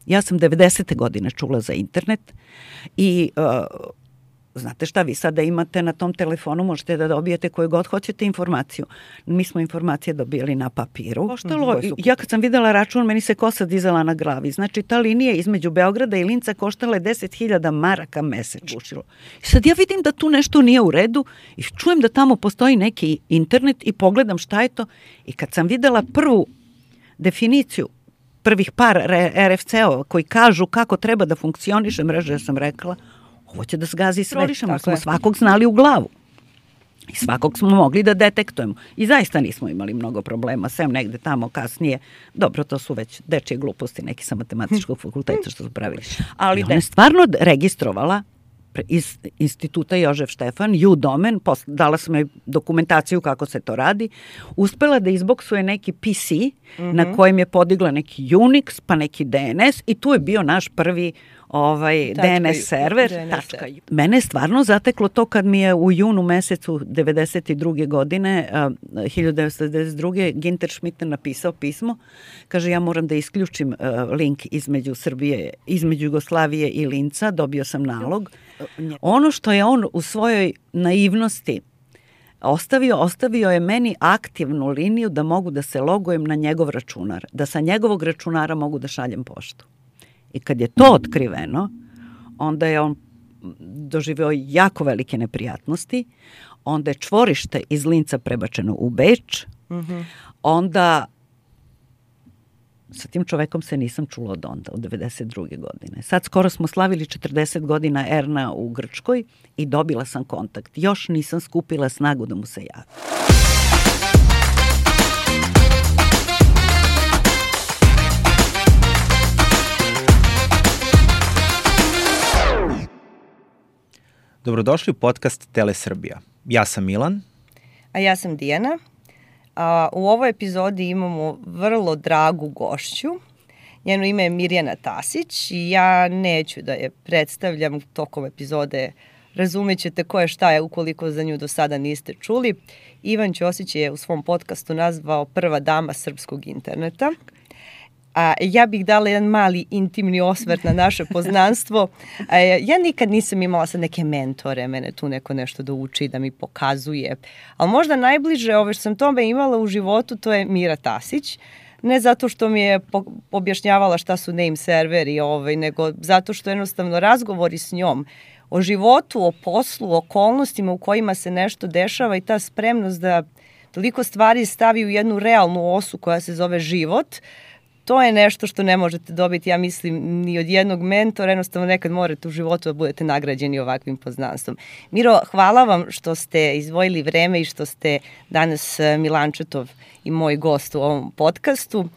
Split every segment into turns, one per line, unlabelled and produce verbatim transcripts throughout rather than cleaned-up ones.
Ja sam devedesete godine čula za internet i uh, znate šta, vi sada imate na tom telefonu, možete da dobijete koju god hoćete informaciju. Mi smo informacije dobijali na papiru. Koštalo, ja kad sam videla račun, meni se kosa dizala na glavi. Znači, ta linija između Beograda i Linca koštala je deset hiljada maraka mesečno. I sad ja vidim da tu nešto nije u redu i čujem da tamo postoji neki internet i pogledam šta je to. I kad sam videla prvu definiciju, prvih par R F C-ova koji kažu kako treba da funkcioniše mreža, ja sam rekla, ovo će da zgazi sve. Tako smo je. Svakog znali u glavu. I svakog smo mogli da detektujemo. I zaista nismo imali mnogo problema, sem negde tamo kasnije. Dobro, to su već dečije gluposti, neki sa matematičkog fakulteta što su pravili. Ali ona je stvarno registrovala iz instituta Jožef Štefan, U-domen, dala sam joj dokumentaciju kako se to radi, uspela da izboksuje neki P C mm-hmm. na kojem je podigla neki Unix, pa neki D N S i tu je bio naš prvi ovaj tačka, D N S server. D N S tačka. Mene je stvarno zateklo to kad mi je u junu mesecu devedeset druge godine, uh, hiljadu devetsto devedeset druge Ginter Schmitter napisao pismo. Kaže, ja moram da isključim uh, link između Srbije, između Jugoslavije i Linca, dobio sam nalog. Ono što je on u svojoj naivnosti ostavio, ostavio je meni aktivnu liniju da mogu da se logujem na njegov računar, da sa njegovog računara mogu da šaljem poštu. I kad je to otkriveno, onda je on doživeo jako velike neprijatnosti, onda je čvorište iz Linca prebačeno u Beč, mm-hmm. onda sa tim čovekom se nisam čula od onda, od devedeset druge godine. Sad skoro smo slavili četrdeset godina Erna u Grčkoj i dobila sam kontakt. Još nisam skupila snagu da mu se javim.
Dobrodošli u podcast Tele Srbija. Ja sam Milan.
A ja sam Dijana. A, u ovoj epizodi imamo vrlo dragu gošću. Njeno ime je Mirjana Tasić i ja neću da je predstavljam tokom epizode. Razumećete ko je šta je ukoliko za nju do sada niste čuli. Ivan Ćosić je u svom podcastu nazvao prva dama srpskog interneta. A ja bih dala jedan mali intimni osvrt na naše poznanstvo. A, ja nikad nisam imala sad neke mentore, mene tu neko nešto da uči, da mi pokazuje. Ali možda najbliže ove što sam tome imala u životu, to je Mira Tasić. Ne zato što mi je po- objašnjavala šta su name serveri, ovaj, nego zato što jednostavno razgovori s njom o životu, o poslu, o okolnostima u kojima se nešto dešava i ta spremnost da toliko stvari stavi u jednu realnu osu koja se zove život. To je nešto što ne možete dobiti, ja mislim, ni od jednog mentora, jednostavno nekad morate u životu da budete nagrađeni ovakvim poznanstvom. Miro, hvala vam što ste izdvojili vreme i što ste danas Milančetov i moj gost u ovom podcastu.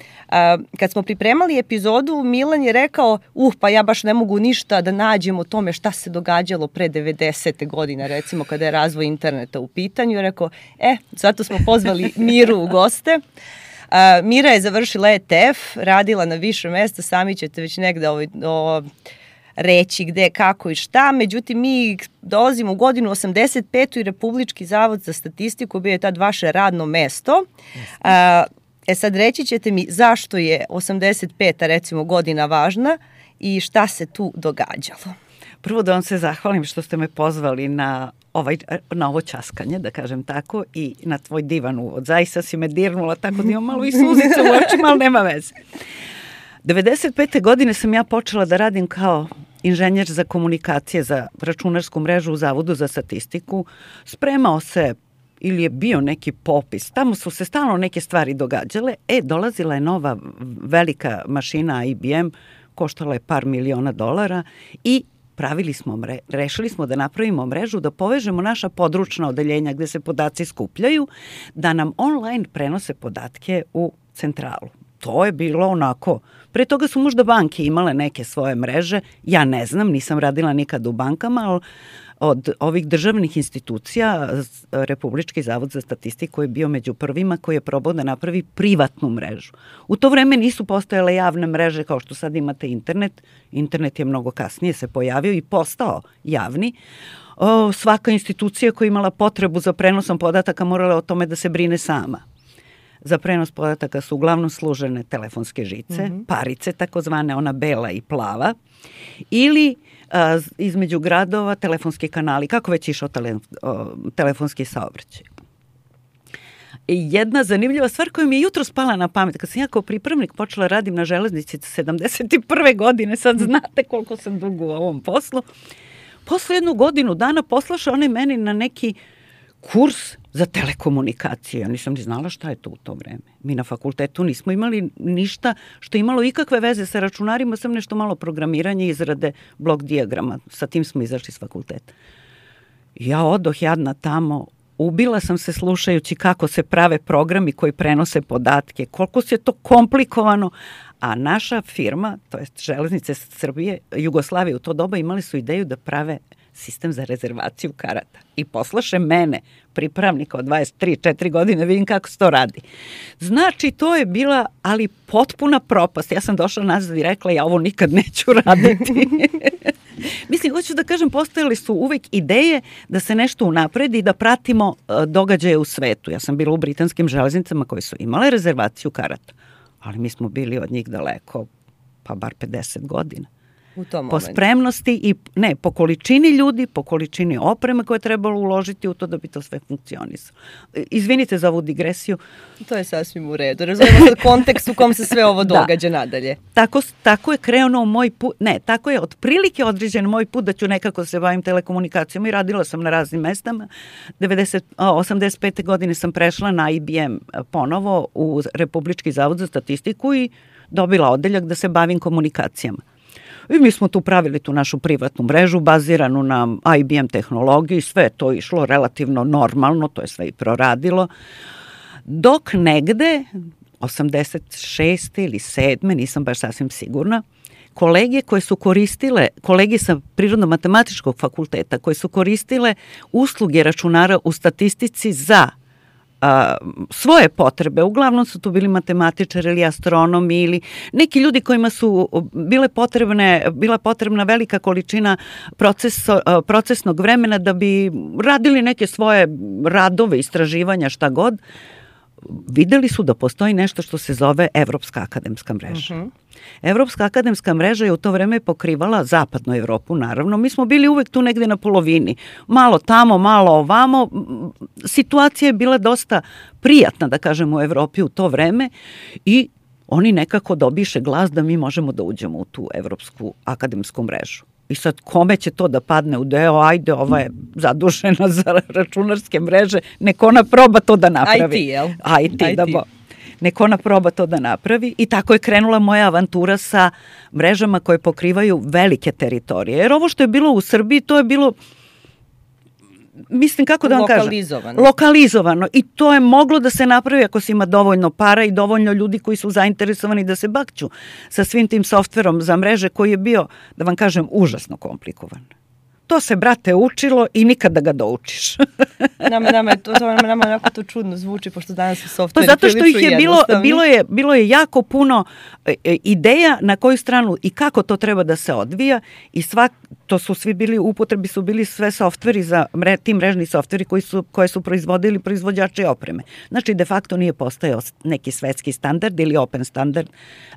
Kad smo pripremali epizodu, Milan je rekao, uh, pa ja baš ne mogu ništa da nađem o tome šta se događalo pre devedesete godine, recimo kada je razvoj interneta u pitanju. Je rekao, e, zato smo pozvali Miru u goste. Uh, Mira je završila E T F, radila na više mesta, sami ćete već negde ovaj, o, reći gde, kako i šta. Međutim, mi dolazimo u godinu osamdeset petu i Republički zavod za statistiku bio je tad vaše radno mesto. Uh, e sad reći ćete mi zašto je osamdeset peta recimo godina važna i šta se tu događalo.
Prvo da vam se zahvalim što ste me pozvali na, ovaj, na ovo časkanje, da kažem tako, i na tvoj divan uvod. Zaista si me dirnula tako da imam malo i suzica u očima, ali nema veze. devedeset pete godine sam ja počela da radim kao inženjer za komunikacije za računarsku mrežu u Zavodu za statistiku. Spremao se ili je bio neki popis. Tamo su se stalno neke stvari događale. E, dolazila je nova velika mašina I B M, koštala je par miliona dolara i pravili smo, mre, rešili smo da napravimo mrežu, da povežemo naša područna odeljenja gde se podaci skupljaju, da nam online prenose podatke u centralu. To je bilo onako, pre toga su možda banke imale neke svoje mreže, ja ne znam, nisam radila nikad u bankama, ali od ovih državnih institucija Republički zavod za statistiku je bio među prvima koji je probao da napravi privatnu mrežu. U to vreme nisu postojale javne mreže kao što sad imate internet. Internet je mnogo kasnije se pojavio i postao javni. O, svaka institucija koja je imala potrebu za prenosom podataka morala o tome da se brine sama. za prenos podataka su uglavnom služene telefonske žice,
Mhm.
parice takozvane, ona bela i plava, ili a, između gradova telefonski kanali, kako već išao tele, o, telefonski saobraćaj. I jedna zanimljiva stvar koja mi je jutro spala na pamet, kad sam ja kao pripravnik počela radim na železnici sedamdeset prve godine, sad znate koliko sam dugo u ovom poslu, posle jednu godinu dana poslaše one meni na neki kurs za telekomunikacije. Ja nisam ni znala šta je to u to vreme. Mi na fakultetu nismo imali ništa što je imalo ikakve veze sa računarima, sam nešto malo programiranje, izrade blok dijagrama. Sa tim smo izašli s fakulteta. Ja odoh jadna tamo, ubila sam se slušajući kako se prave programi koji prenose podatke, koliko se to komplikovano, a naša firma, to jest Železnice Srbije, Jugoslavije u to doba imali su ideju da prave sistem za rezervaciju karata. I poslaše mene, pripravnika od dvadeset tri četiri godine, vidim kako se to radi. Znači, to je bila, ali potpuna propast. Ja sam došla nazad i rekla, ja ovo nikad neću raditi. Mislim, hoću da kažem, postojali su uvek ideje da se nešto unapredi i da pratimo uh, događaje u svetu. Ja sam bila u britanskim železnicama koje su imale rezervaciju karata, ali mi smo bili od njih daleko, pa bar pedeset godina.
U tom
po
momentu.
spremnosti i ne, po količini ljudi, po količini opreme koje je trebalo uložiti u to da bi to sve funkcionisalo. Izvinite za ovu digresiju.
To je sasvim u redu. Razumemo sad kontekst u kom se sve ovo događa da. nadalje.
Tako, tako je krenuo moj put, ne, tako je otprilike određen moj put da ću nekako se bavim telekomunikacijom i radila sam na raznim mestama. devedeset, osamdeset pete godine sam prešla na I B M ponovo u Republički zavod za statistiku i dobila odeljak da se bavim komunikacijama. I mi smo tu pravili tu našu privatnu mrežu baziranu na I B M tehnologiji, sve je to išlo relativno normalno, to je sve i proradilo. Dok negde, osamdeset šeste ili sedme, nisam baš sasvim sigurna, kolege koje su koristile, kolege sa Prirodno-matematičkog fakulteta, koje su koristile usluge računara u statistici za a, svoje potrebe, uglavnom su tu bili matematičari ili astronomi ili neki ljudi kojima su bile potrebne, bila potrebna velika količina proceso, procesnog vremena da bi radili neke svoje radove, istraživanja, šta god, videli su da postoji nešto što se zove Evropska akademska mreža. Uh-huh. Evropska akademska mreža je u to vreme pokrivala zapadnu Evropu, naravno. Mi smo bili uvek tu negde na polovini. Malo tamo, malo ovamo. Situacija je bila dosta prijatna, da kažem, u Evropi u to vreme i oni nekako dobiše glas da mi možemo da uđemo u tu Evropsku akademsku mrežu. I sad, kome će to da padne u deo, ajde, ova je zadužena za računarske mreže, neko ona proba to da napravi.
I T, jel?
I T, da bo. Neko ona proba to da napravi i tako je krenula moja avantura sa mrežama koje pokrivaju velike teritorije. Jer ovo što je bilo u Srbiji, to je bilo, mislim, kako da vam kažem?
Lokalizovano.
Lokalizovano. I to je moglo da se napravi ako se ima dovoljno para i dovoljno ljudi koji su zainteresovani da se bakću sa svim tim softverom za mreže koji je bio, da vam kažem, užasno komplikovan. To se, brate, učilo i nikad da ga doučiš.
nama, nama, to, to, nama jako to čudno zvuči, pošto danas su softveri
pa zato što ih je bilo, bilo, je, bilo je jako puno e, ideja na koju stranu i kako to treba da se odvija i svak, to su svi bili, upotrebi su bili sve softveri za mre, ti mrežni softveri koji su, koje su proizvodili proizvođači opreme. Znači, de facto nije postojao neki svetski standard ili open standard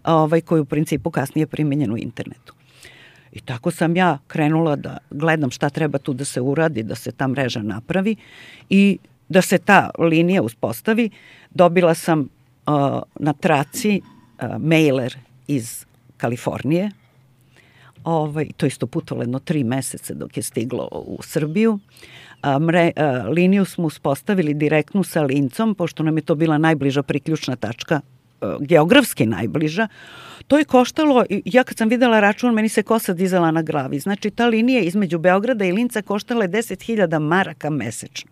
ovaj, koji u principu kasnije primjenjen u internetu. I tako sam ja krenula da gledam šta treba tu da se uradi, da se ta mreža napravi i da se ta linija uspostavi. Dobila sam uh, na traci uh, mailer iz Kalifornije. Ovaj, to isto putovalo jedno tri meseca dok je stiglo u Srbiju. A, mre, a, liniju smo uspostavili direktnu sa Lincom, pošto nam je to bila najbliža priključna tačka, a, geografski najbliža. To je koštalo, ja kad sam videla račun, meni se kosa dizala na glavi. Znači, ta linija između Beograda i Linca koštala je deset hiljada maraka mesečno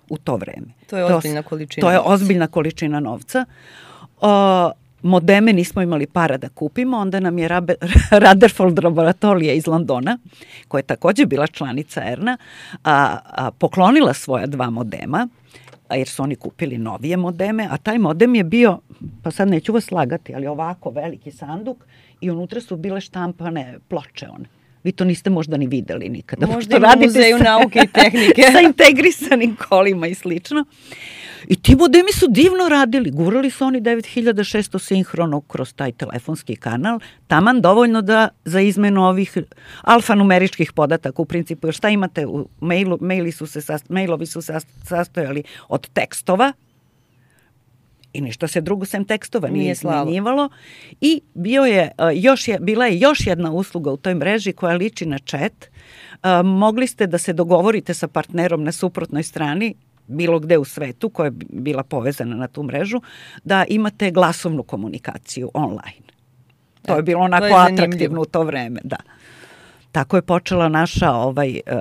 u to vreme.
To je ozbiljna količina
To je
novca.
ozbiljna količina novca. A, modeme nismo imali para da kupimo, onda nam je Rutherford laboratorija iz Londona, koja je takođe bila članica E R N-a, a, a, poklonila svoja dva modema, a jer su oni kupili novije modeme, a taj modem je bio, pa sad neću vas slagati, ali ovako veliki sanduk i unutra su bile štampane ploče one. Vi to niste možda ni videli nikada.
Možda i u muzeju nauke i tehnike.
Sa integrisanim kolima i slično. I ti modemi su divno radili. Gurali su oni devet hiljada šesto sinhrono kroz taj telefonski kanal. Taman dovoljno da za izmenu ovih alfanumeričkih podataka u principu. Jer šta imate u mailu? Maili su se, mailovi su se sastojali od tekstova i ništa se drugo sem tekstova nije izmenjivalo. I bio je, još je, bila je još jedna usluga u toj mreži koja liči na chat. Mogli ste da se dogovorite sa partnerom na suprotnoj strani, bilo gde u svetu, koja je bila povezana na tu mrežu, da imate glasovnu komunikaciju online. To je bilo onako to je atraktivno u to vreme, da. Tako je počela naša ovaj, uh,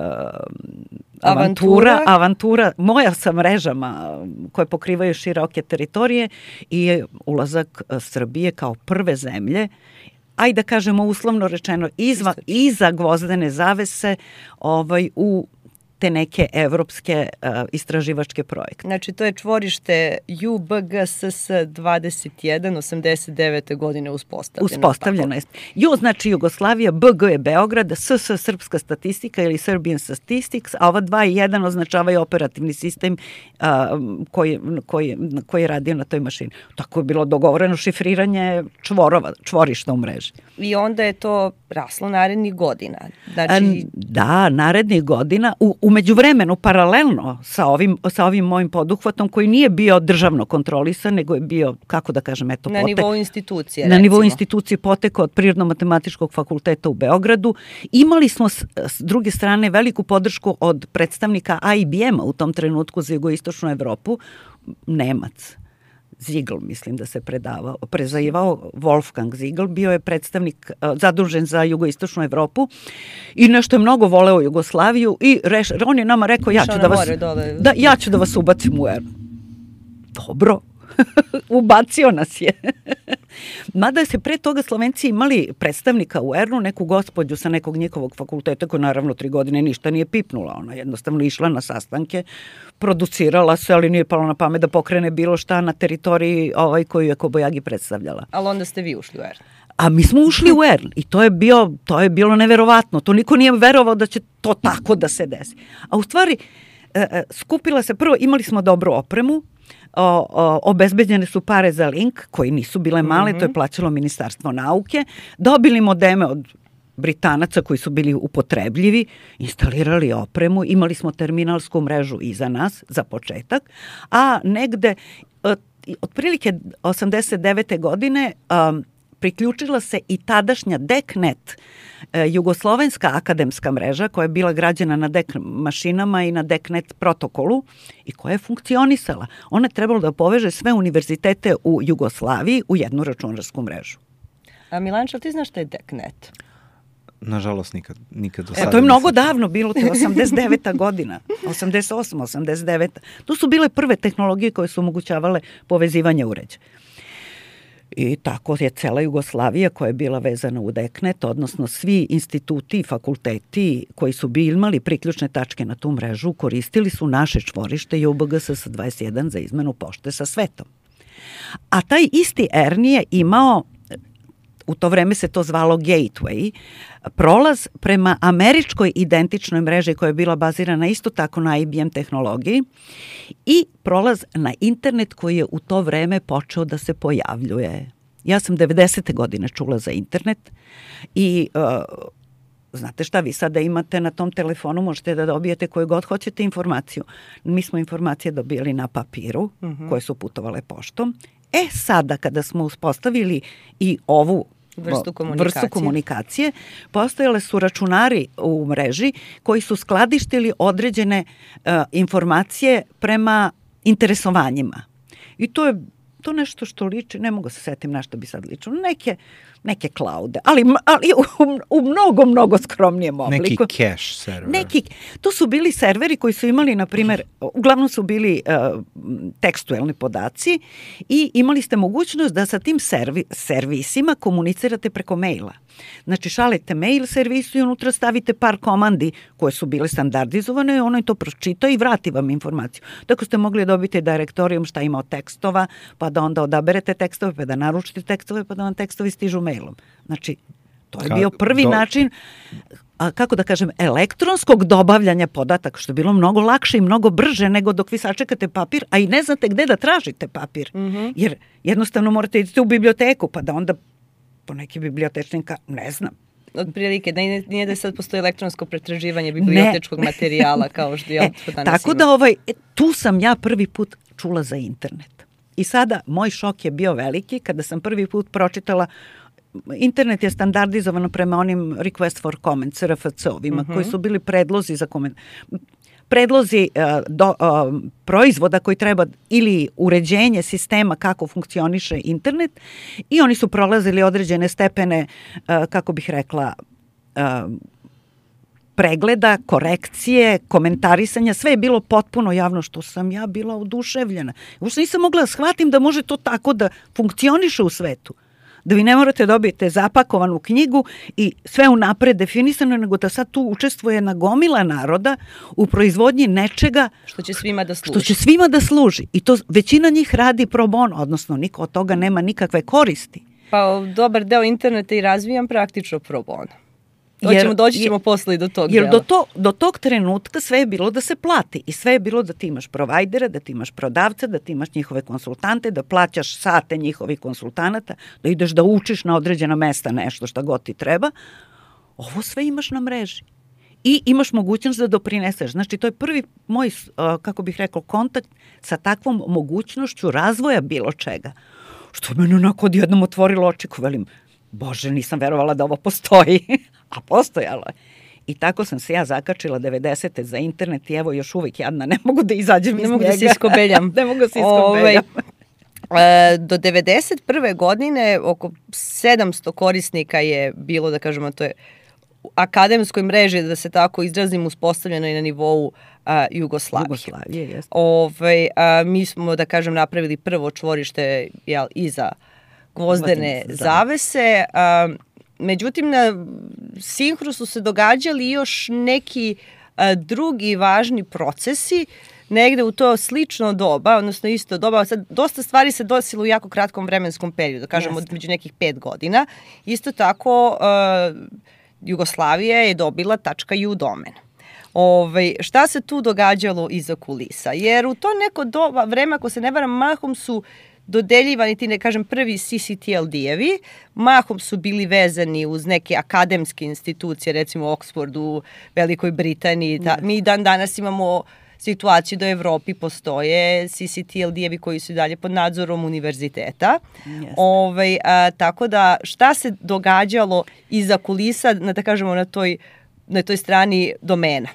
avantura, avantura, avantura, moja sa mrežama koje pokrivaju široke teritorije i ulazak Srbije kao prve zemlje, ajde da kažemo uslovno rečeno, izva, iza gvozdene zavese ovaj, u te neke evropske uh, istraživačke projekte.
Znači, to je čvorište U B G S S dvadeset jedan osamdeset devete godine uspostavljeno.
Uspostavljeno je. Ju znači Jugoslavija, B G je Beograd, S S Srpska statistika ili Serbian Statistics, a ova dva i jedan označavaju operativni sistem uh, koji, koji, koji je radio na toj mašini. Tako je bilo dogovoreno šifriranje čvorova, čvorišta u mreži.
I onda je to raslo narednih godina. Znači...
A, da, narednih godina. U, u međuvremenu, paralelno sa ovim, sa ovim mojim poduhvatom, koji nije bio državno kontrolisan, nego je bio, kako da kažem, eto,
na
potek,
nivou institucije,
na
recimo.
nivou institucije potekao od Prirodno-matematičkog fakulteta u Beogradu. Imali smo s, s druge strane veliku podršku od predstavnika I B M-a u tom trenutku za jugoistočnu Evropu, Nemac. Ziegl, mislim da se predavao, prezajivao Wolfgang Ziegl, bio je predstavnik uh, zadužen za jugoistočnu Evropu i nešto je mnogo voleo Jugoslaviju i reš, on je nama rekao ja ću, da vas, da, ja ću da vas ubacim u er. Dobro, ubacio nas je. Mada se pre toga Slovenci imali predstavnika u er-u, neku gospođu sa nekog njihovog fakulteta koja naravno tri godine ništa nije pipnula. Ona jednostavno išla na sastanke, producirala se, ali nije palo na pamet da pokrene bilo šta na teritoriji ovaj, koju je Kobajagi predstavljala.
Ali onda ste vi ušli u er.
A mi smo ušli u er i to je, bio, to je bilo neverovatno. To niko nije verovao da će to tako da se desi. A u stvari, skupila se, prvo imali smo dobru opremu, O, o, obezbeđene su pare za link, koji nisu bile male, mm-hmm. to je plaćalo Ministarstvo nauke, dobili modeme od Britanaca koji su bili upotrebljivi, instalirali opremu, imali smo terminalsku mrežu iza nas, za početak, a negde, otprilike osamdeset devete godine, um, priključila se i tadašnja DECnet, jugoslovenska akademska mreža koja je bila građena na D E C mašinama i na DECnet protokolu i koja je funkcionisala. Ona je trebala da poveže sve univerzitete u Jugoslaviji u jednu računarsku mrežu.
A Milanča, ti znaš šta je DECnet?
Nažalost, nikad, nikad do
e,
sada.
To je mnogo davno bilo, to je osamdeset deveta godina, osamdeset osma, osamdeset deveta. To su bile prve tehnologije koje su omogućavale povezivanje uređaja. I tako je cela Jugoslavija koja je bila vezana u DECnet, odnosno svi instituti i fakulteti koji su bi imali priključne tačke na tu mrežu, koristili su naše čvorište U B G S S dvadeset jedan za izmenu pošte sa svetom. A taj isti er en je imao, u to vreme se to zvalo Gateway, prolaz prema američkoj identičnoj mreži koja je bila bazirana isto tako na I B M tehnologiji i prolaz na internet koji je u to vreme počeo da se pojavljuje. Ja sam devedesete godine čula za internet i uh, znate šta, vi sada imate na tom telefonu, možete da dobijete koju god hoćete informaciju. Mi smo informacije dobijali na papiru, mm-hmm. koje su putovale poštom. E sada, kada smo uspostavili i ovu
vrstu komunikacije.
vrstu komunikacije, postojale su računari u mreži koji su skladištili određene uh, informacije prema interesovanjima. I to je to nešto što liči, ne mogu se setim na što bi sad ličilo, neke, neke klaude, ali, ali u, u mnogo, mnogo skromnijem obliku.
Neki cache server.
Neki, to su bili serveri koji su imali, na primjer, uglavnom su bili uh, tekstualni podaci i imali ste mogućnost da sa tim servi, servisima komunicirate preko maila. Znači, šaljete mail servisu i unutra stavite par komandi koje su bile standardizovane i ono je to pročita i vrati vam informaciju. Tako ste mogli dobiti direktorijum šta ima od tekstova, pa da onda odaberete tekstove, pa da naručite tekstove, pa da vam tekstovi stižu mailom. Znači, to je bio prvi
do...
način a, kako da kažem, elektronskog dobavljanja podataka, što je bilo mnogo lakše i mnogo brže nego dok vi sačekate papir, a i ne znate gde da tražite papir. Mm-hmm. Jer jednostavno morate idete u biblioteku, pa da onda po neki bibliotečnika, ne znam.
Od prilike, da nije da sad postoji elektronsko pretraživanje bibliotečkog ne. materijala kao što je to danas
Tako
ima.
da ovaj, tu sam ja prvi put čula za internet. I sada moj šok je bio veliki kada sam prvi put pročitala. Internet je standardizovano prema onim request for comments, R F C-ovima, uh-huh. koji su bili predlozi za koment. Predlozi uh, do, uh, proizvoda koji treba ili uređenje sistema kako funkcioniše internet i oni su prolazili određene stepene, uh, kako bih rekla, uh, pregleda, korekcije, komentarisanja, sve je bilo potpuno javno, što sam ja bila oduševljena. Uopšte nisam mogla da shvatim da može to tako da funkcioniše u svetu. Da vi ne morate dobiti zapakovanu knjigu i sve unapred definisano, nego da sad tu učestvuje nagomila naroda u proizvodnji nečega
što će svima da služi.
Što će svima da služi. I to većina njih radi pro bono, odnosno niko od toga nema nikakve koristi.
Pa dobar deo interneta i razvijam praktično pro bono. Doćemo, doći ćemo posle i do tog
jer
dela.
do, to, do tog trenutka sve je bilo da se plati i sve je bilo da ti imaš provajdera, da ti imaš prodavca, da ti imaš njihove konsultante, da plaćaš sate njihovih konsultanata, da ideš da učiš na određena mesta nešto šta god ti treba. Ovo sve imaš na mreži. I imaš mogućnost da doprineseš. Znači, to je prvi moj, kako bih rekao, kontakt sa takvom mogućnošću razvoja bilo čega. Što mene onako odjednom otvorilo oči, ko velim, Bože, nisam verovala da ovo postoji, a postojalo je. I tako sam se ja zakačila devedesete za internet i evo još uvijek jadna, ne mogu da izađem iz njega.
Ne mogu da se iskobeljam.
ne mogu da se iskobeljam.
Ove, do devedeset prve godine oko sedamsto korisnika je bilo, da kažemo, to je akademskoj mreži, da se tako izrazim, uspostavljeno i na nivou a, Jugoslavije.
Jugoslavije, jeste.
Ove, a, mi smo, da kažem, napravili prvo čvorište jel, iza gvozdene zavese. A, međutim, na Sinhru su se događali još neki a, drugi važni procesi, negde u to slično doba, odnosno isto doba. Sad, dosta stvari se desilo u jako kratkom vremenskom periodu, kažemo među nekih pet godina. Isto tako, a, Jugoslavija je dobila .ju domen. Ove, šta se tu događalo iza kulisa? Jer u to neko doba, vreme, ako se ne varam, mahom su dodeljivani ti, ne kažem, prvi C C T L D-evi, mahom su bili vezani uz neke akademske institucije, recimo Oxford u Velikoj Britaniji. Ta, mi dan danas imamo situaciju da u Evropi postoje C C T L D-evi koji su dalje pod nadzorom univerziteta. Ove, a, tako da šta se događalo iza kulisa, na, da kažemo, na toj, na toj strani domena?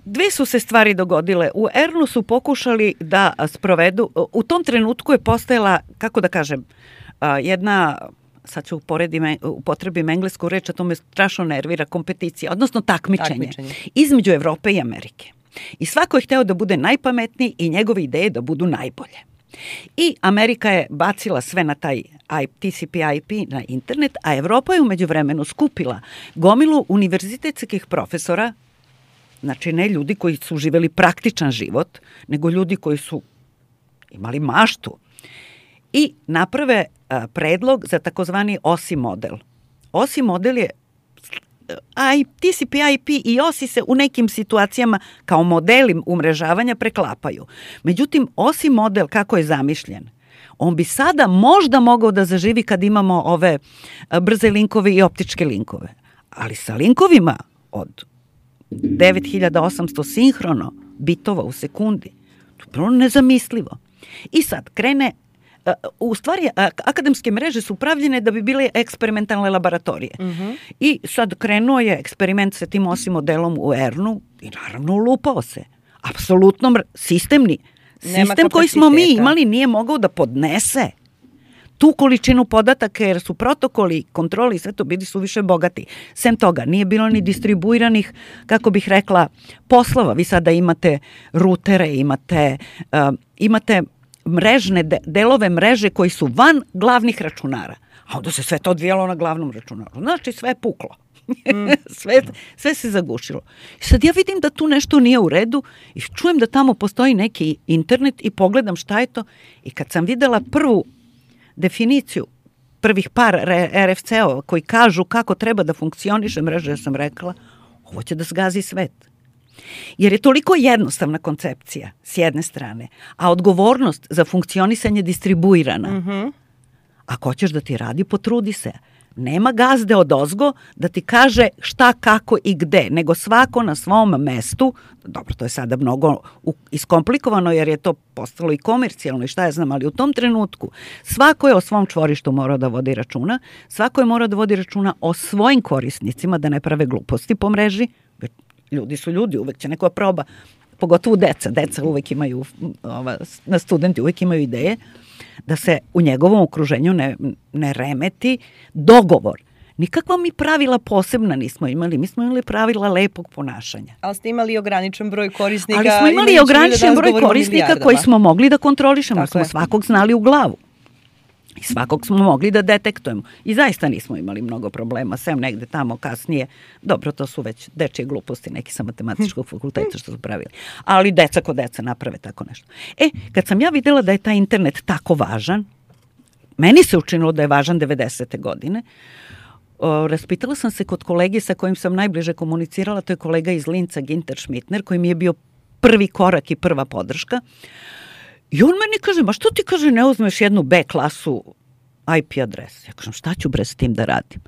Dve su se stvari dogodile. U Ernu su pokušali da sprovedu, u tom trenutku je postojala, kako da kažem, jedna, sad ću uporedim, upotrebim englesku reč, a to me strašno nervira, kompeticija, odnosno takmičenje, takmičenje između Evrope i Amerike. I svako je hteo da bude najpametniji i njegove ideje da budu najbolje. I Amerika je bacila sve na taj T C P I P na internet, a Evropa je umeđu vremenu skupila gomilu univerzitetskih profesora, znači ne ljudi koji su živeli praktičan život, nego ljudi koji su imali maštu i naprave a, predlog za takozvani O S I model. O S I model je, a i T C P I P i O S I se u nekim situacijama kao modeli umrežavanja preklapaju. Međutim, O S I model kako je zamišljen, on bi sada možda mogao da zaživi kad imamo ove brze linkove i optičke linkove. Ali sa linkovima od devet hiljada osamsto sinhrono bitova u sekundi, to je bilo nezamislivo. I sad krene, u stvari akademske mreže su pravljene da bi bile eksperimentalne laboratorije. Uh-huh. I sad krenuo je eksperiment sa tim O S I modelom u Ernu i naravno ulupao se. Apsolutno sistemni. Sistem koji smo mi imali nije mogao da podnese tu količinu podataka, jer su protokoli, kontroli i sve to bili su više bogati. Sem toga, nije bilo ni distribuiranih, kako bih rekla, poslova. Vi sada imate rutere, imate, uh, imate mrežne, de, delove mreže koji su van glavnih računara. A onda se sve to odvijalo na glavnom računaru. Znači, sve je puklo. Mm. sve, sve se zagušilo. I sad ja vidim da tu nešto nije u redu i čujem da tamo postoji neki internet i pogledam šta je to. I kad sam videla prvu definiciju prvih par R F C-ova koji kažu kako treba da funkcioniše mreža, ja sam rekla, ovo će da zgazi svet. Jer je toliko jednostavna koncepcija s jedne strane, a odgovornost za funkcionisanje distribuirana.
Mm-hmm.
Ako hoćeš da ti radi, potrudi se. Nema gazde odozgo da ti kaže šta, kako i gde, nego svako na svom mestu. Dobro, to je sada mnogo iskomplikovano jer je to postalo i komercijalno i šta ja znam, ali u tom trenutku svako je o svom čvorištu morao da vodi računa, svako je morao da vodi računa o svojim korisnicima, da ne prave gluposti po mreži. Ljudi su ljudi, uvek će neko proba, pogotovo deca. Deca uvek imaju, ova, na studenti uvek imaju ideje da se u njegovom okruženju ne, ne remeti dogovor. Nikakva mi pravila posebna nismo imali. Mi smo imali pravila lepog ponašanja.
Ali ste imali ograničen broj korisnika.
Ali smo imali ograničen broj korisnika koji smo mogli da kontrolišemo. Smo
je.
svakog znali u glavu. I svakog smo mogli da detektujemo. I zaista nismo imali mnogo problema, sem negde tamo kasnije. Dobro, to su već dečije gluposti, neki sa matematičkog fakulteta što su pravili. Ali deca ko deca naprave tako nešto. E, kad sam ja videla da je taj internet tako važan, meni se učinilo da je važan devedesete godine, o, raspitala sam se kod kolege sa kojim sam najbliže komunicirala, to je kolega iz Linca, Ginter Schmittner, koji mi je bio prvi korak i prva podrška. I on meni kaže, ma što ti, kaže, ne uzmeš jednu B klasu I P adres? Ja kažem, šta ću bre s tim da radim?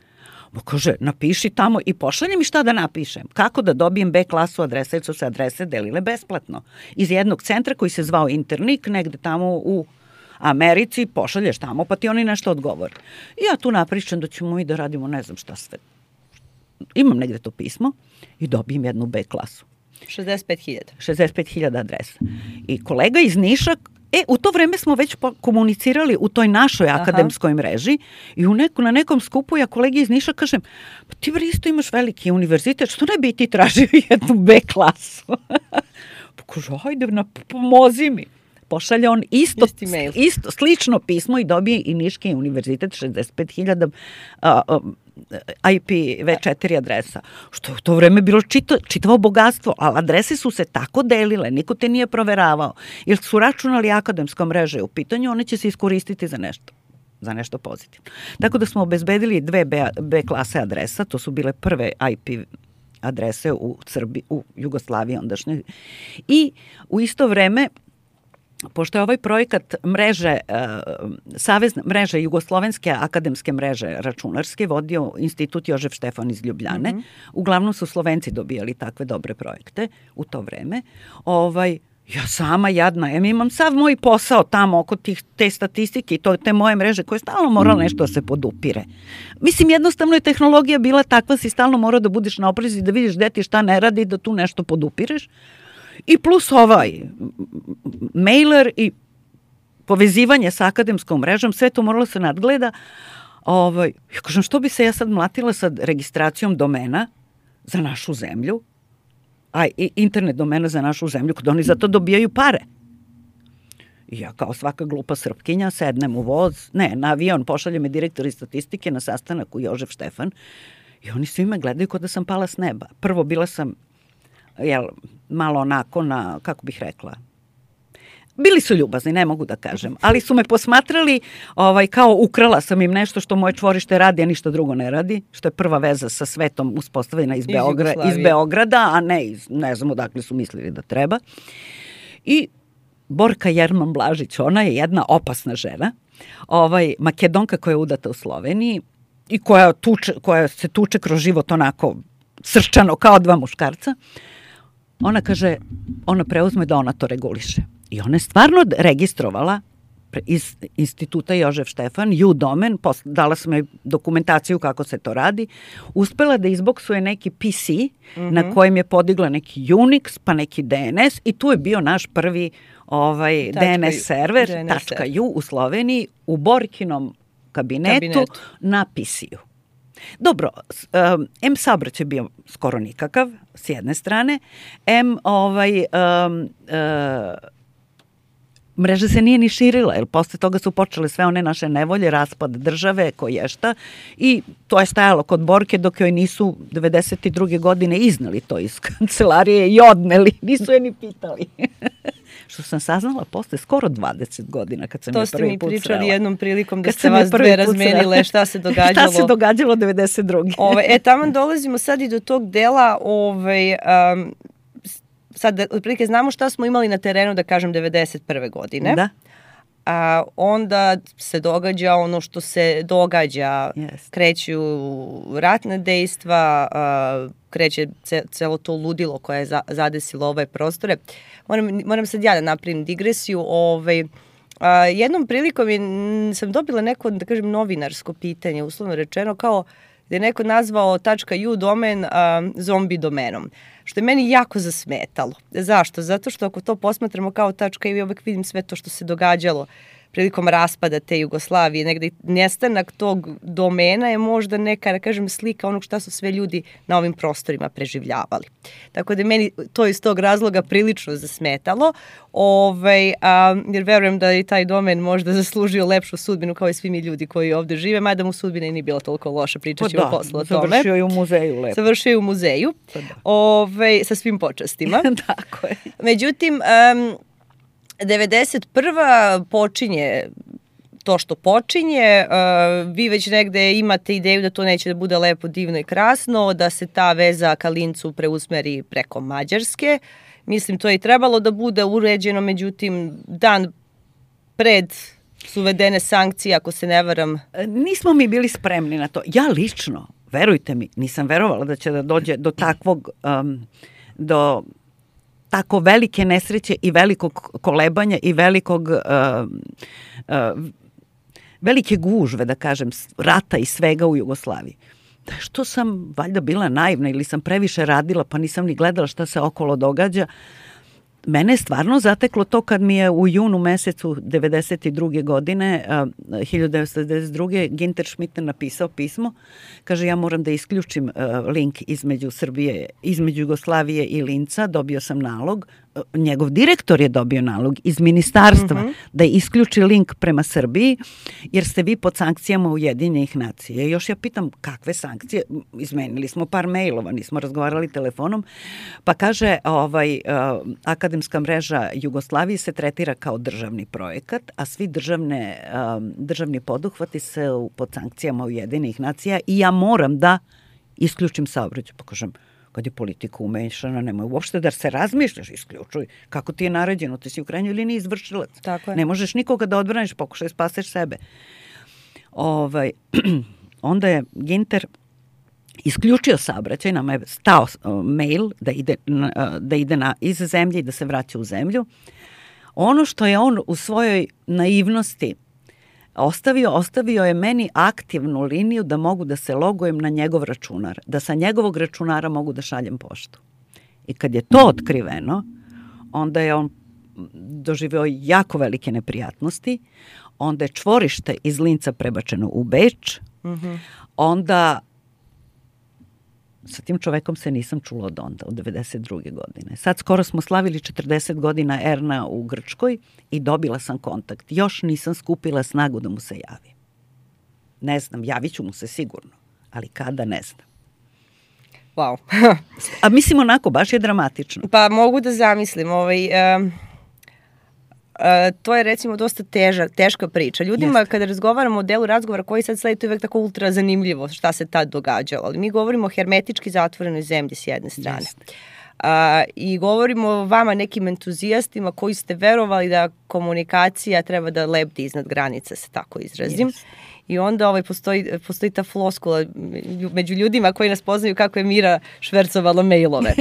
Ma kaže, napiši tamo i pošalje mi šta da napišem. Kako da dobijem B klasu adresa, jer su se adrese delile besplatno. Iz jednog centra koji se zvao Internik, negde tamo u Americi, pošalješ tamo, pa ti oni nešto odgovore. I ja tu napričam da ćemo mi da radimo ne znam šta sve. Imam negde to pismo i dobijem jednu B klasu.
šezdeset pet hiljada.
šezdeset pet hiljada adresa. I kolega iz Niša, e, u to vreme smo već komunicirali u toj našoj
Aha.
akademskoj mreži i u neko, na nekom skupu ja kolegi iz Niša kažem, pa ti bre isto imaš veliki univerzitet, što ne bi ti tražio jednu B klasu? Pa kaže, hajde, na, pomozi mi. Pošalje on isto, isto, slično pismo i dobije i Niški univerzitet šezdeset pet hiljada I P V četiri adresa. Što u to vreme bilo čito, čitavo bogatstvo, ali adrese su se tako delile, niko te nije proveravao. Jer su računali akademska mreža u pitanju, one će se iskoristiti za nešto. za nešto pozitivno. Tako da smo obezbedili dve B, B klase adresa, to su bile prve I P adrese u Srbiji, u Jugoslaviji ondašnjoj. I u isto vreme, pošto je ovaj projekat mreže, savezne mreže Jugoslovenske akademske mreže računarske vodio Institut Jožef Štefan iz Ljubljane, mm-hmm. uglavnom su Slovenci dobijali takve dobre projekte u to vreme. Ovaj, ja sama jadna, ja imam sav moj posao tamo oko tih, te statistike i to, te moje mreže koje stalno moralo nešto da se podupire. Mislim, jednostavno je tehnologija bila takva, si stalno morao da budeš na oprezi, da vidiš gde ti šta ne radi, da tu nešto podupireš. I plus ovaj mailer i povezivanje sa akademskom mrežom, sve to moralo se nadgleda. Ovaj, ja kažem, što bi se ja sad mlatila sa registracijom domena za našu zemlju, a internet domena za našu zemlju, kada oni za to dobijaju pare. I ja kao svaka glupa Srpkinja sednem u voz, ne, na avion, pošalje me direktor iz statistike na sastanak u Jožef Štefan i oni svi me gledaju kao da sam pala s neba. Prvo bila sam jel, malo onako na, kako bih rekla, bili su ljubazni, ne mogu da kažem, ali su me posmatrali ovaj, kao ukrala sam im nešto što moje čvorište radi, a ništa drugo ne radi, što je prva veza sa svetom uspostavljena iz, Beogra, iz Beograda, a ne iz, ne znam odakle su mislili da treba. I Borka Jerman Blažić, ona je jedna opasna žena, ovaj, Makedonka koja je udata u Sloveniji i koja, tuče, koja se tuče kroz život onako srčano kao dva muškarca. Ona kaže, ona preuzme da ona to reguliše. I ona je stvarno registrovala iz instituta Jožef Štefan, U-domen, dala sam joj dokumentaciju kako se to radi, uspela da izboksuje neki P C mm-hmm. na kojem je podigla neki Unix, pa neki D N S i tu je bio naš prvi ovaj, D N S server, D N S .u u Sloveniji, u Borkinom kabinetu, kabinetu. na P C-u. Dobro, um, M saobraćaj je bio skoro nikakav, s jedne strane, M ovaj, um, uh, mreža se nije ni širila, jer posle toga su počele sve one naše nevolje, raspad države, koješta, i to je stajalo kod Borke dok joj nisu devedeset druge godine iznali to iz kancelarije i odneli, nisu je ni pitali. što sam saznala posle skoro dvadeset godina kad sam
to
je prvi put
To ste mi pričali
srela.
jednom prilikom da kad ste vas dve razmenile šta se događalo.
Šta se događalo devedeset druge.
Ove, e, tamo dolazimo sad i do tog dela, ovaj, um, sad otprilike znamo šta smo imali na terenu, da kažem, devedeset prve godine.
Da.
A onda se događa ono što se događa,
yes.
kreću ratne dejstva, a, kreće ce, celo to ludilo koje je za, zadesilo ove prostore. Moram, moram sad ja da napravim digresiju. Ovaj, a, jednom prilikom je, sam dobila neko, da kažem, novinarsko pitanje, uslovno rečeno, kao da je neko nazvao .u domen a, zombi domenom. Što je meni jako zasmetalo. Zašto? Zato što ako to posmatramo kao tačka i uvek vidim sve to što se događalo prilikom raspada te Jugoslavije, negde nestanak tog domena je možda neka, da kažem, slika onog šta su sve ljudi na ovim prostorima preživljavali. Tako da je meni to iz tog razloga prilično zasmetalo, ovaj, a, jer verujem da je taj domen možda zaslužio lepšu sudbinu kao i svi mi ljudi koji ovde žive, mada mu sudbina i nije bila toliko loša, pričat ćemo
pa
posle o tome.
Završio je u muzeju lepo.
Završio je u muzeju,
pa da.
ovaj, sa svim počastima.
Tako je.
Međutim, um, devedeset prva počinje to što počinje, uh, vi već negde imate ideju da to neće da bude lepo, divno i krasno, da se ta veza ka Lincu preusmeri preko Mađarske. Mislim, to je i trebalo da bude uređeno, međutim, dan pred su uvedene sankcije, ako se ne varam.
Nismo mi bili spremni na to. Ja lično, verujte mi, nisam verovala da će da dođe do takvog, um, do tako velike nesreće i velikog kolebanja i velikog uh, uh, velike gužve, da kažem, rata i svega u Jugoslaviji. Da što sam valjda bila naivna ili sam previše radila pa nisam ni gledala šta se okolo događa. Mene je stvarno zateklo to kad mi je u junu mesecu devedeset druge godine, uh, hiljadu devetsto devedeset druge Ginter Schmitter napisao pismo. Kaže, ja moram da isključim uh, link između Srbije, između Jugoslavije i Linca. Dobio sam nalog. Uh, njegov direktor je dobio nalog iz ministarstva mm-hmm. da isključi link prema Srbiji, jer ste vi pod sankcijama Ujedinjenih nacija. Još ja pitam, kakve sankcije? Izmenili smo par mailova, nismo razgovarali telefonom. Pa kaže, ovaj, uh, akademska mreža Jugoslavije se tretira kao državni projekat, a svi državne, um, državni poduhvati se pod sankcijama Ujedinjenih nacija i ja moram da isključim saobraćaj. Pa kažem, kad je politika umešana, nemoj uopšte da se razmišljaš, isključuj. Kako ti je naređeno? Ti si u krajnjoj liniji izvršilac.
Tako je.
Ne možeš nikoga da odbraniš, pokušaj spaseš sebe. Ovaj, onda je Ginter isključio saobraćaj, nama je stao mail da ide, da ide na, iz zemlje i da se vraća u zemlju. Ono što je on u svojoj naivnosti ostavio, ostavio je meni aktivnu liniju da mogu da se logujem na njegov računar, da sa njegovog računara mogu da šaljem poštu. I kad je to otkriveno, onda je on doživeo jako velike neprijatnosti, onda je čvorište iz Linca prebačeno u Beč, mm-hmm. onda sa tim čovekom se nisam čula od onda, od devedeset druge godine. Sad skoro smo slavili četrdeset godina Erna u Grčkoj i dobila sam kontakt. Još nisam skupila snagu da mu se javi. Ne znam, javit ću mu se sigurno, ali kada, ne znam.
Wow.
A mislim onako, baš je dramatično.
Pa mogu da zamislim, ovaj... Um... Uh, to je recimo dosta teža, teška priča. Ljudima Jeste. Kada razgovaramo o delu razgovora koji sad sledi, to je uvek tako ultra zanimljivo šta se tad događalo. Ali mi govorimo o hermetički zatvorenoj zemlji s jedne strane. Uh, I govorimo o vama nekim entuzijastima koji ste verovali da komunikacija treba da lebdi iznad granica, se tako izrazim. Jeste. I onda ovaj, postoji, postoji ta floskula među ljudima koji nas poznaju kako je Mira švercovala mailove.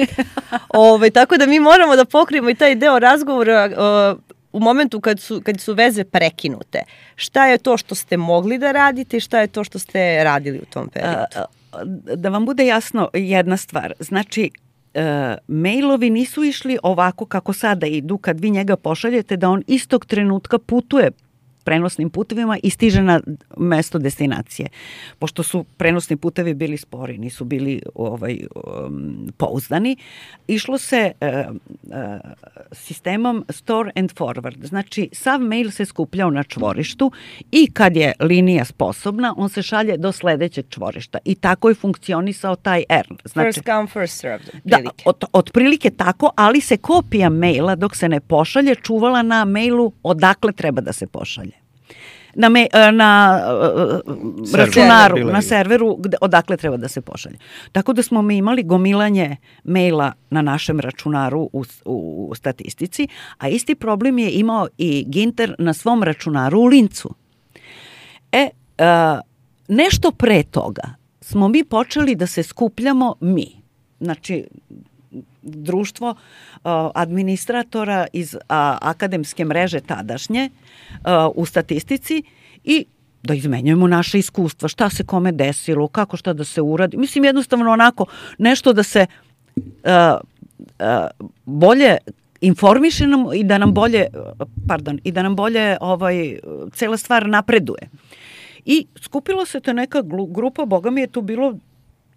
Ove, tako da mi moramo da pokrijemo i taj deo razgovora uh, u momentu kad su, kad su veze prekinute. Šta je to što ste mogli da radite i šta je to što ste radili u tom periodu?
Da vam bude jasno jedna stvar. Znači, e, mailovi nisu išli ovako kako sada idu kad vi njega pošaljete, da on istog trenutka putuje prenosnim putevima i stiže na mesto destinacije. Pošto su prenosni putevi bili spori, nisu bili ovaj, um, pouzdani, išlo se uh, uh, sistemom store and forward. Znači, sav mail se skupljao na čvorištu i kad je linija sposobna, on se šalje do sledećeg čvorišta. I tako je funkcionisao taj E R N. Znači,
first come, first served.
Da, od, otprilike tako, ali se kopija maila dok se ne pošalje čuvala na mailu odakle treba da se pošalje. Na, me, na uh, računaru,
Server.
na serveru gde, odakle treba da se pošalje. Tako da smo mi imali gomilanje maila na našem računaru u, u, u statistici, a isti problem je imao i Ginter na svom računaru u Lincu. E, uh, nešto pre toga smo mi počeli da se skupljamo mi. Znači, društvo uh, administratora iz uh, akademske mreže tadašnje uh, u statistici i da izmenjujemo naše iskustva, šta se kome desilo, kako šta da se uradi. Mislim, jednostavno onako nešto da se uh, uh, bolje informišemo i da nam bolje, pardon, i da nam bolje ovaj, cela stvar napreduje. I skupilo se to neka grupa, boga mi je tu bilo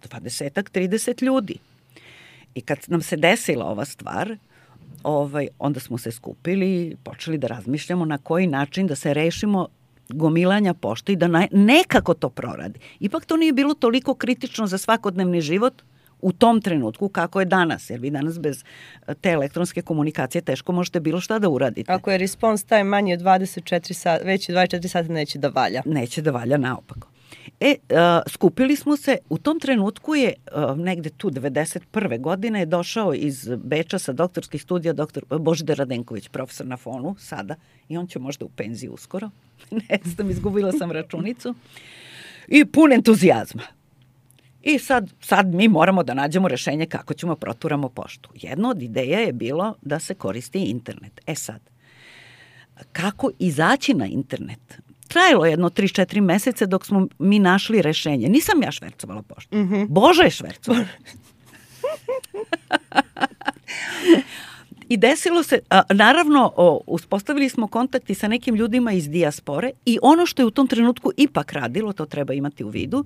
dvadesetak, trideset ljudi. I kad nam se desila ova stvar, ovaj, onda smo se skupili i počeli da razmišljamo na koji način da se rešimo gomilanja pošte i da na, nekako to proradi. Ipak to nije bilo toliko kritično za svakodnevni život u tom trenutku kako je danas, jer vi danas bez te elektronske komunikacije teško možete bilo šta da uradite.
Ako je response time manji od dvadeset četiri sata, već dvadeset četiri sata neće da valja.
Neće da valja naopako. E, uh, skupili smo se, u tom trenutku je uh, negde tu devedeset prve godine je došao iz Beča sa doktorskih studija doktor Božidar Radenković, profesor na Fonu sada, i on će možda u penziju uskoro, ne znam, izgubila sam računicu, i pun entuzijazma. I sad, sad mi moramo da nađemo rešenje kako ćemo proturamo poštu. Jedna od ideja je bilo da se koristi internet. E sad, kako izaći na internet? Trajalo je jedno tri četiri meseca dok smo mi našli rešenje. Nisam ja švercovala poštu. Mm-hmm. Boža je švercovala. I desilo se, a, naravno, o, uspostavili smo kontakti sa nekim ljudima iz dijaspore i ono što je u tom trenutku ipak radilo, to treba imati u vidu,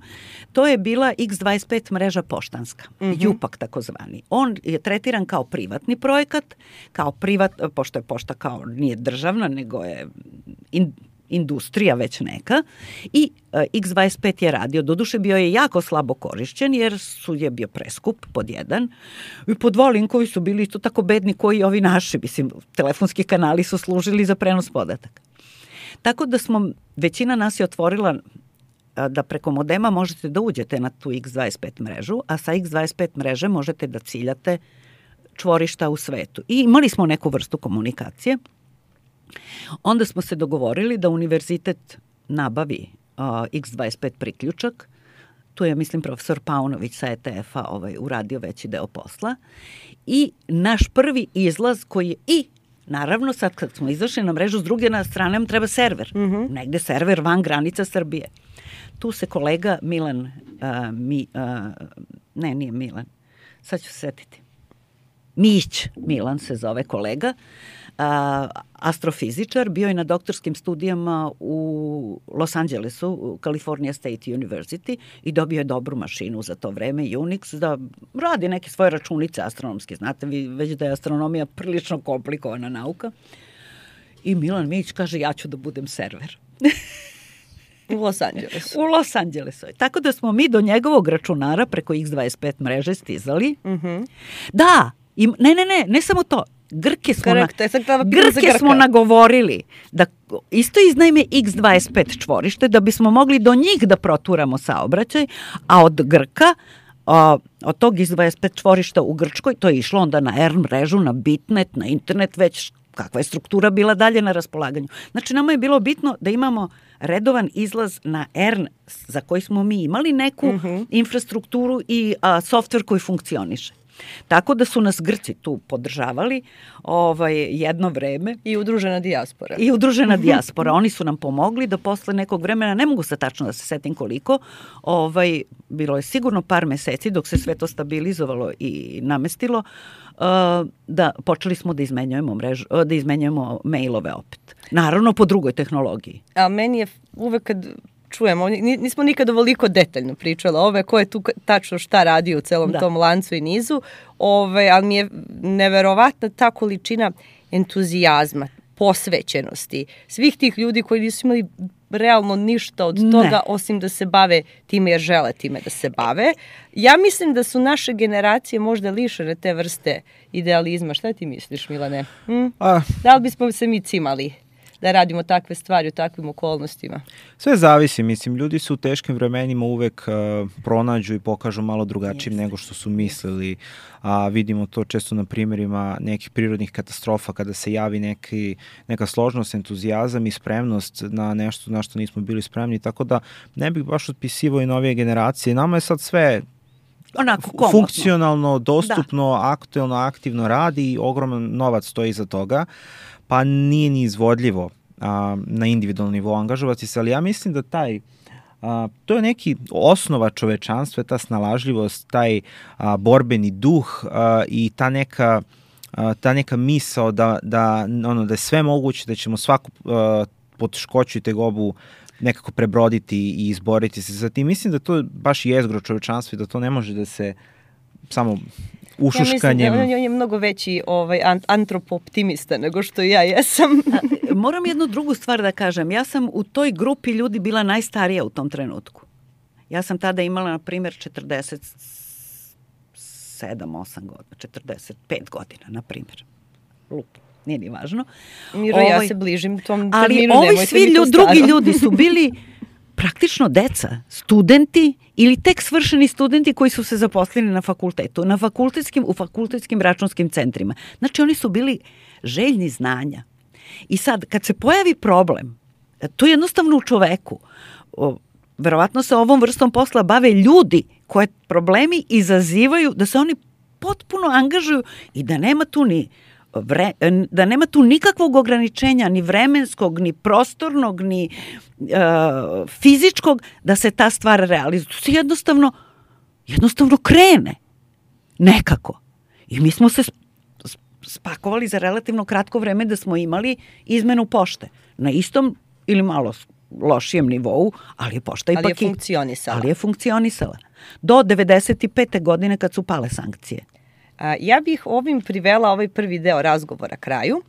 to je bila iks dvadeset pet mreža poštanska, mm-hmm. Jupak takozvani. On je tretiran kao privatni projekat, kao privat, pošto je pošta kao nije državna, nego je in, industrija već neka i uh, iks dvadeset pet je radio. Doduše bio je jako slabo korišćen jer su je bio preskup pod jedan i pod dva linkovi su bili isto tako bedni koji ovi naši, mislim, telefonski kanali su služili za prenos podataka. Tako da smo, većina nas je otvorila uh, da preko modema možete da uđete na tu iks dvadeset pet mrežu, a sa iks dvadeset pet mreže možete da ciljate čvorišta u svetu. I imali smo neku vrstu komunikacije. Onda smo se dogovorili da univerzitet nabavi uh, iks dvadeset pet priključak. Tu je, mislim, profesor Paunović sa E T F-a ovaj, uradio veći deo posla. I naš prvi izlaz koji je i, naravno, sad kad smo izašli na mrežu, s druge na strane nam treba server. Mm-hmm. Negde server van granica Srbije. Tu se kolega Milan, uh, mi, uh, ne, nije Milan, sad ću se setiti. Mić Milan se zove kolega, Uh, astrofizičar, bio je na doktorskim studijama u Los Angelesu, u California State University i dobio je dobru mašinu za to vreme, Unix, da radi neke svoje računice astronomske. Znate vi već da je astronomija prilično komplikovana nauka. I Milan Mić kaže, ja ću da budem server.
U Los Angelesu.
U Los Angelesu. Tako da smo mi do njegovog računara preko iks dvadeset pet mreže stizali. Mm-hmm. Da, i, ne, ne, ne, ne samo to. Grke smo, na, Grke smo nagovorili da isto iznajme iks dvadeset pet čvorište da bismo mogli do njih da proturamo saobraćaj, a od Grka, a, od tog iks dvadeset pet čvorišta u Grčkoj, to je išlo onda na E R N mrežu, na Bitnet, na internet, već kakva je struktura bila dalje na raspolaganju. Znači, nama je bilo bitno da imamo redovan izlaz na E R N za koji smo mi imali neku mm-hmm. infrastrukturu i a, softver koji funkcioniše. Tako da su nas Grci tu podržavali ovaj, jedno vreme.
I udružena dijaspora.
I udružena dijaspora. Oni su nam pomogli da posle nekog vremena, ne mogu se tačno da se setim koliko, ovaj, bilo je sigurno par meseci dok se sve to stabilizovalo i namestilo, da počeli smo da izmenjujemo mrežu, da izmenjujemo mailove opet. Naravno po drugoj tehnologiji.
A meni je uvek kad čujemo, nismo nikad ovoliko detaljno pričali ove, ko je tu tačno šta radi u celom da. tom lancu i nizu, ove, ali mi je neverovatna ta količina entuzijazma, posvećenosti, svih tih ljudi koji nisu imali realno ništa od toga, ne. osim da se bave time jer žele time da se bave. Ja mislim da su naše generacije možda lišene te vrste idealizma. Šta ti misliš, Milane? Hm? A, da li bismo se mi cimali da radimo takve stvari u takvim okolnostima?
Sve zavisi, mislim, ljudi su u teškim vremenima uvek uh, pronađu i pokažu malo drugačijim nego što su mislili, a vidimo to često na primjerima nekih prirodnih katastrofa kada se javi neki, neka složnost, entuzijazam i spremnost na nešto na što nismo bili spremni, tako da ne bih baš otpisivao i novije generacije. Nama je sad sve
onako komodno,
funkcionalno, dostupno, da. aktuelno, aktivno radi i ogroman novac stoji iza toga, pa nije ni izvodljivo a, na individualnom nivou angažovati se, ali ja mislim da taj, a, to je neki osnova čovečanstva, ta snalažljivost, taj a, borbeni duh a, i ta neka, a, ta neka misao da, da, ono, da je sve moguće, da ćemo svaku a, poteškoću i tegobu nekako prebroditi i izboriti se za tim. Mislim da to baš jezgro čovečanstva i da to ne može da se samo ušuškanjem.
Ja mislim da on je mnogo veći ovaj, antropo-optimista nego što ja jesam.
A, moram jednu drugu stvar da kažem. Ja sam u toj grupi ljudi bila najstarija u tom trenutku. Ja sam tada imala, na primjer, četrdeset sedam osam godina, četrdeset pet godina, na primjer. Lup, nije ni važno.
Miro, ovaj, ja se bližim tom
ali
terminu.
Ali ovi svi ljud, drugi ljudi su bili praktično deca, studenti ili tek svršeni studenti koji su se zaposlili na fakultetu, na fakultetskim, u fakultetskim računskim centrima. Znači, oni su bili željni znanja. I sad, kad se pojavi problem, to je jednostavno u čoveku. O, verovatno se ovom vrstom posla bave ljudi koje problemi izazivaju da se oni potpuno angažuju i da nema tu ni Vre, da nema tu nikakvog ograničenja, ni vremenskog, ni prostornog, ni uh, fizičkog, da se ta stvar realizuje. To se jednostavno, jednostavno krene. Nekako. I mi smo se spakovali za relativno kratko vreme da smo imali izmenu pošte. Na istom ili malo lošijem nivou, ali je pošta ipak...
Ali je funkcionisala.
Ali je funkcionisala. Do devedeset pete godine kad su pale sankcije.
Ja bih ovim privela ovaj prvi deo razgovora kraju.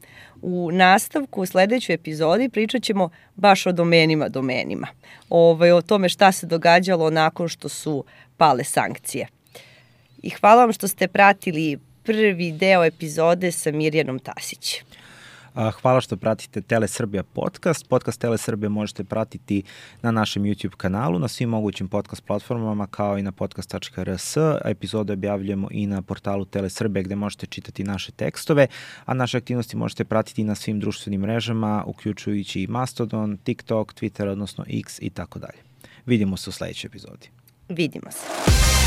U nastavku, u sledećoj epizodi, pričat ćemo baš o domenima domenima. Ovaj, o tome šta se događalo nakon što su pale sankcije. I hvala vam što ste pratili prvi deo epizode sa Mirjanom Tasić.
Hvala što pratite Tele Srbija podcast. Podcast Tele Srbija možete pratiti na našem YouTube kanalu, na svim mogućim podcast platformama kao i na podcast tačka r s. Epizode objavljujemo i na portalu Tele Srbija gde možete čitati naše tekstove, a naše aktivnosti možete pratiti na svim društvenim mrežama, uključujući i Mastodon, TikTok, Twitter, odnosno X i tako dalje. Vidimo se u sledećoj epizodi.
Vidimo se.